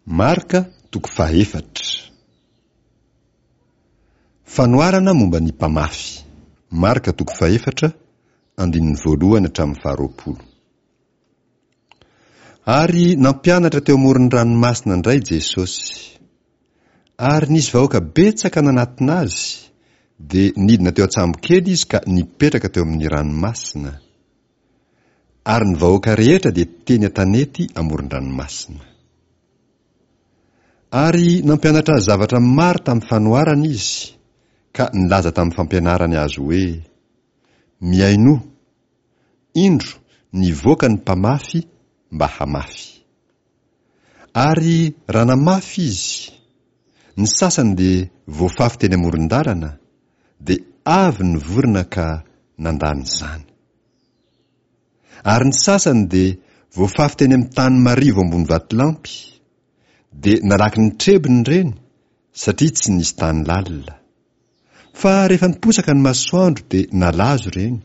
Marka toko fahaefatra. Fanoharana momba ny mpamafy. Marka toko fahefatra, andininy voalohany hatramin'ny faharoapolo. Ary nampianatra teo amoron'ny ranomasina indray Jesosy. Ary nisy vahoaka betsaka nanatona azy, dia nidina teo an-tsambokely izy ka nipetraka teo amin'ny ranomasina. Ary ny vahoaka rehetra dia teny an-tanety amoron-dranomasina. Ary nampianatra azy zavatra maro tamin'ny fanoharana izy, ka nilaza tamin'ny fampianarany azy hoe, Mihainoa! Indro, nivoaka ny mpamafy mba hamafy. Ary raha namafy izy, ny sasany dia voafafy teny amoron-dalana, dia avy ny vorona ka nandany izany. Ary ny sasany dia voafafy teny amin'ny tany marivo ambony vatolampy, dia nalaky ny trebony ireny satria tsy nisy tany lalina. Fa rehefa niposaka ny masoandro dia nalazo ireny,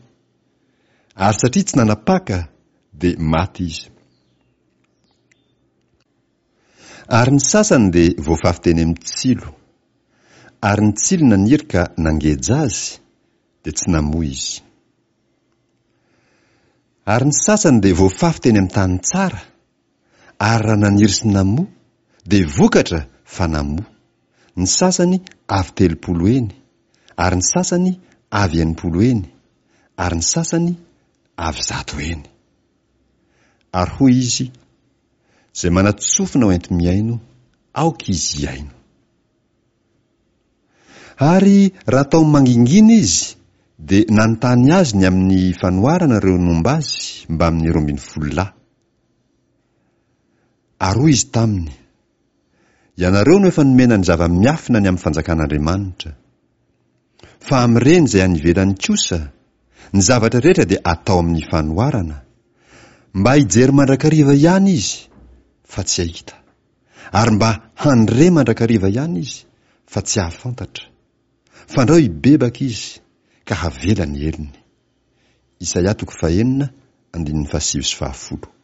ary satria tsy nanapaka dia maty izy. Ary ny sasany dia voafafy teny amin'ny tsilo, ary ny tsilo naniry ka nangeja azy, dia tsy namoa izy. Ary ny sasany dia voafafy teny amin'ny tany tsara, ary raha naniry sy namoa, dia vokatra fa namoa, ny sasany avy 30 heny, ary ny sasany avy 60 heny, ary ny sasany avy 100 heny. Ary hoy izy, Izay manan-tsofina ho enti-mihaino, aoka izy hihaino. Ary raha tao mangingina izy, dia nanontany azy ny amin'ny fanoharana ireo nomba azy mbamin'ny 12 lahy. Ary hoy izy taminy, Ianareo no efa nomena ny zava-miafina ny amin'ny fanjakan'Andriamanitra. Fa amin'ireny izay any ivelany kosa, ny zavatra rehetra dia atao amin'ny fanoharana, mba hijery mandrakariva ihany izy, fa tsy hahita, ary mba handre mandrakariva ihany izy, fa tsy hahafantatra. Fandrao hibebaka izy, ka havela ny helony. Isaia toko fahenina, andininy fahasivy sy fahafolo.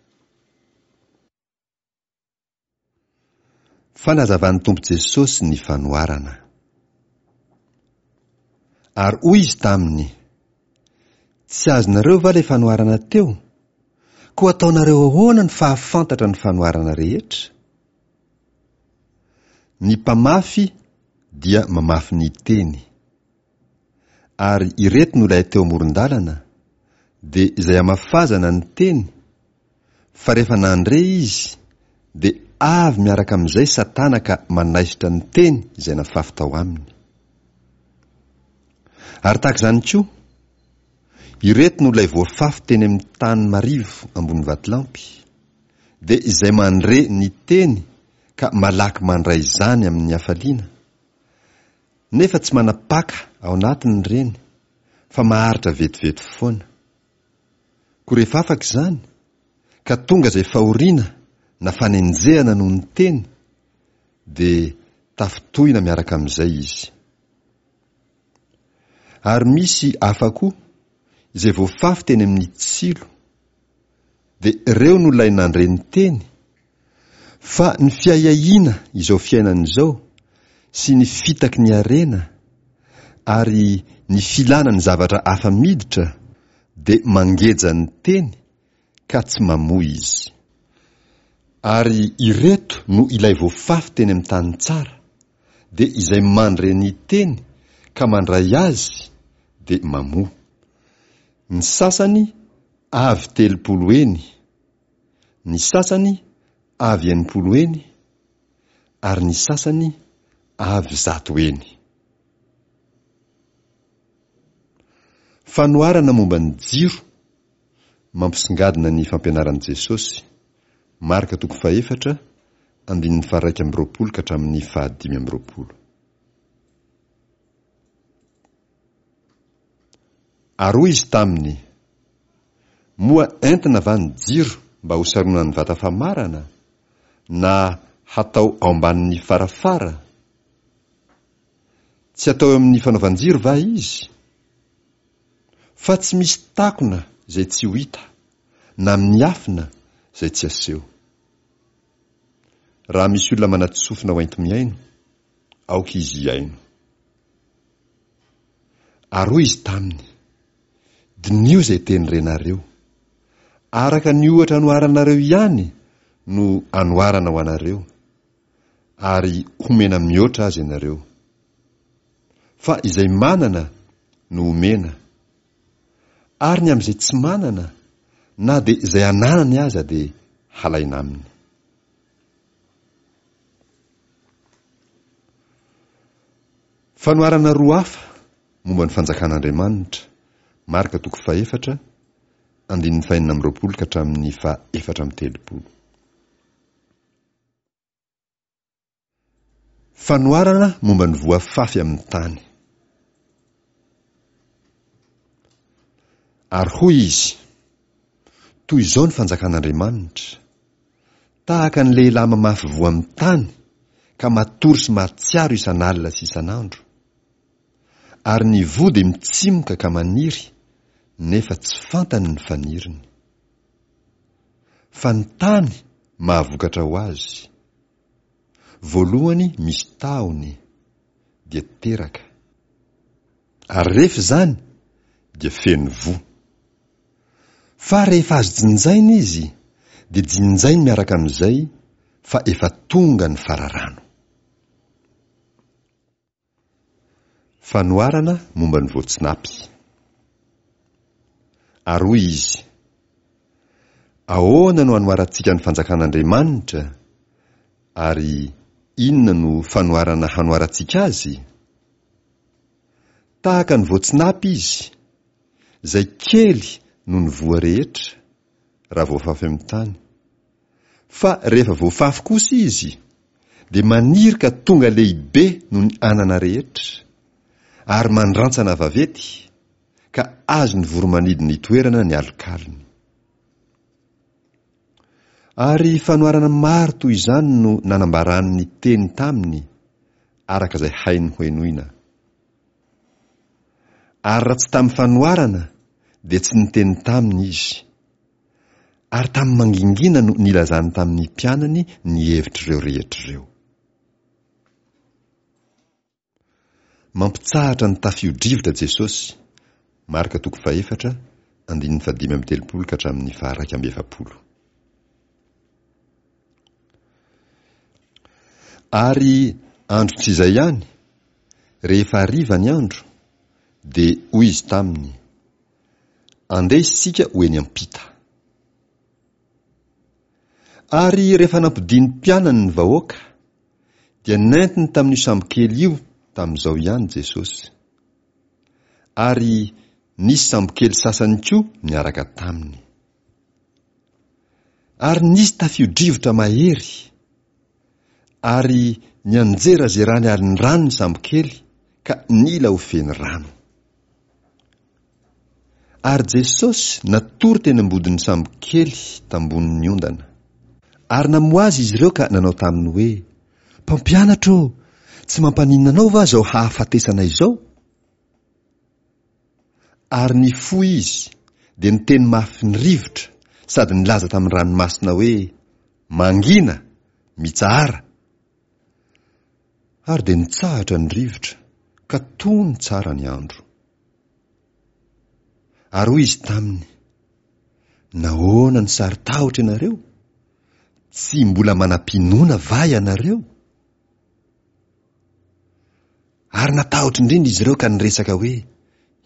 Fanazavan'ny Tompo Jesosy ny fanoharana. Ary hoy Izy taminy, Tsy azonareo va ilay fanoharana teo? Koa ataonareo ahoana ny fahafantatra ny fanoharana rehetra? Ny mpamafy dia mamafy ny teny. Ary ireto no ilay teo amoron-dalana, dia izay amafazana ny teny, fa rehefa nandre izy, dia avy miaraka amin'izay Satana ka manaisotra ny teny izay nafafy tao aminy. Ary tahaka izany koa, ireto no ilay voafafy teny amin'ny tany marivo ambony vatolampy, dia izay mandre ny teny ka malaky mandray izany amin'ny hafaliana, nefa tsy manapaka ao anatiny ireny fa maharitra vetivety foana. Koa rehefa afaka izany, ka tonga izay fahoriana na fanenjehana noho ny teny, dia tafintohina miaraka amin'izay izy. Ary misy hafa koa, izay voafafy teny amin'ny tsilo, dia ireo no ilay nandre ny teny, fa ny fiahiahiana izao fiainana izao sy ny fitaky ny harena ary ny filana ny zavatra hafa miditra dia mangeja ny teny ka tsy mamoa izy. Ary ireto no ilay voafafy teny amin'ny tany tsara, dia izay mandre ny teny ka mandray azy dia mamoa. Ny sasany avy 30 heny, ny sasany avy 60 heny, ary ny sasany avy 100 heny. Fanoharana momba ny jiro mampisongadina ny fampianaran'i Jesosy, Marka toko fahefatra, andininy faha-21 ka hatramin'ny faha-25. Ary hoy izy taminy, Moa entina va ny jiro mba hosaronan'ny vata famarana, na hatao ao ambanin'ny farafara? Tsy atao eo amin'ny fanaovan-jiro va izy? Fa tsy misy takona izay tsy ho hita, na miafina izay tsy aseho. Raha misy olona manatsofina ho enti-mihaino, aoka izy hihaino. Ary hoy izy taminy, Diniho izay teny renareo. Araka ny ohatra anoharanareo ihany no anoharana ho anareo, ary homena mihoatra aza ianareo. Fa izay manana no omena, ary ny amin'izay tsy manana, na dia izay ananany aza dia halaina aminy. Fanoharana roa hafa momba ny Fanjakan'Andriamanitra, Marka toko fahefatra, andininy fahenina amby roapolo ka hatramin'ny faha efatra amby telopolo. Fanoharana momba ny voa afafy amin'ny tany. Ary hoy izy, Toy izao ny fanjakan'Andriamanitra, tahaka ny lehilahy mamafy voa amin'ny tany ka matory sy mahatsiaro isan'alina sy isan'andro. Ary ny voa dia mitsimoka ka maniry, nefa tsy fantany ny faniriny. Fa ny tany mahavokatra ho azy. Voalohany misy tahony, dia teraka. Ary rehefa izany, dia feno voa. Fa rehefa azo jinjaina izy, dia jinjainy miaraka amin'izay fa efa tonga ny fararano. Fanoharana momba ny voatsinapy. Ary hoy izy, Ahoana no hanoharantsika ny fanjakan'Andriamanitra, ary inona no fanoharana hanoharantsika azy? Tahaka ny voatsinapy izy, izay kely noho ny voa rehetra, raha voafafy amin'ny tany. Fa rehefa voafafy kosa izy, dia maniry ka tonga lehibe noho ny anana rehetra, ary mandrantsana vaventy, ka azon'ny voro-manidina itoerana ny alokalony. Ary fanoharana maro toy izany no nanambarany ny teny taminy, araka izay hainy hohenoina. Ary raha tsy tamin'ny fanoharana, dia tsy niteny taminy izy. Ary tamin'ny mangingina no nilazany tamin'ny mpianany ny hevitr'ireo rehetra ireo. Mampitsahatra ny tafio-drivotra Jesosy, Marka toko fahefatra, andininy fahadimy amby telopolo ka hatramin'ny faharaika amby efapolo. Ary andro tsy izay ihany, rehefa hariva ny andro, dia hoy izy taminy, Andeha isika ho eny am-pita. Ary rehefa nampodian'ny mpianany ny vahoaka, dia nentiny tamin'io sambokely io tamin'izao ihany Jesosy. Ary nisy sambokely sasany koa niaraka taminy. Ary nisy tafio-drivotra mahery, ary nianjerazerany alin-drano ny sambokely ka nila ho feno rano. Ary Jesosy natory teny ambodin'ny sambokely tambonin'ny ondana. Ary namoha Azy izy ireo ka nanao taminy hoe, Mpampianatra ô, tsy mampaninona Anao va izao hahafatesana izao? Ary nifoha Izy, dia niteny mafy ny rivotra sady nilaza tamin'ny ranomasina hoe, Mangina! Mitsahara! Ary dia nitsahatra ny rivotra, ka tony tsara ny andro. Ary hoy izy taminy, Nahoana no saro-tahotra ianareo? Tsy mbola manam-pinoana va ianareo? Ary natahotra indrindra izy ireo ka niresaka hoe,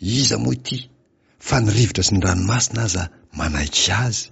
Iza moa ity, fa ny rivotra sy ny ranomasina aza manaiky azy?